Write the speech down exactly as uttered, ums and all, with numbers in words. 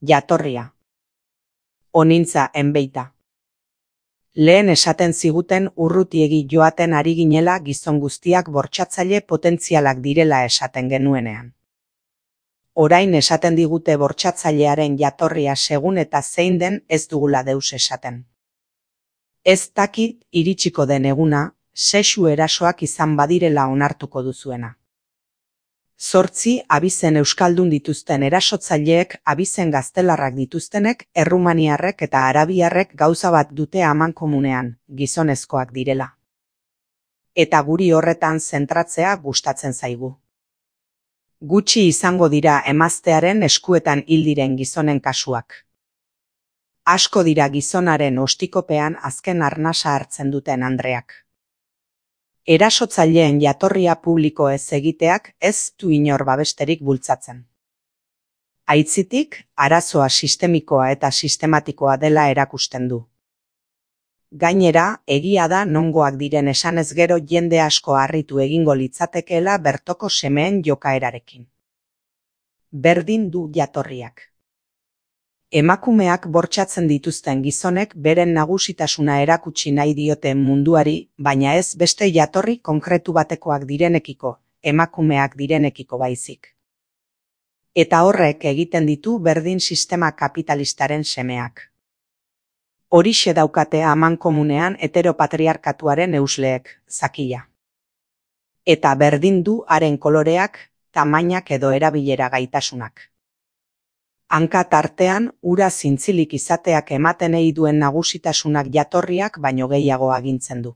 Jatorria. Onintza enbeita. Lehen esaten ziguten urrutiegi joaten ari ginela gizon guztiak bortxatzaile potentzialak direla esaten genuenean. Orain esaten digute bortxatzailearen jatorria segun eta zein den ez dugula deus esaten. Ez dakit iritsiko den eguna, sexu erasoak izan badirela onartuko duzuena. Zortzi abizen euskaldun dituzten erasotzaileek abizen gaztelarrak dituztenek errumaniarrek eta arabiarrek gauza bat dute amankomunean, gizonezkoak direla. Eta guri horretan zentratzea gustatzen zaigu. Gutxi izango dira emaztearen eskuetan hil diren gizonen kasuak. Asko dira gizonaren ostikopean azken arnasa hartzen duten andreak. Erasotzaileen jatorria publiko ez egiteak ez du inor babesterik bultzatzen. Aitzitik, arazoa sistemikoa eta sistematikoa dela erakusten du. Gainera, egia da nongoak diren esanez gero jende asko harritu egingo litzatekeela bertoko semeen jokaerarekin. Berdin du jatorriak. Emakumeak bortxatzen dituzten gizonek beren nagusitasuna erakutsi nahi diote munduari, baina ez beste jatorri konkretu batekoak direnekiko, emakumeak direnekiko baizik. Eta horrek egiten ditu berdin sistema kapitalistaren semeak. Horixe daukate amankomunean heteropatriarkatuaren eusleek, zakila. Eta berdin du haren koloreak, tamainak edo erabilera gaitasunak. Hanka tartean, ura zintzilik izateak ematen ei duen nagusitasunak jatorriak baino gehiago agintzen du.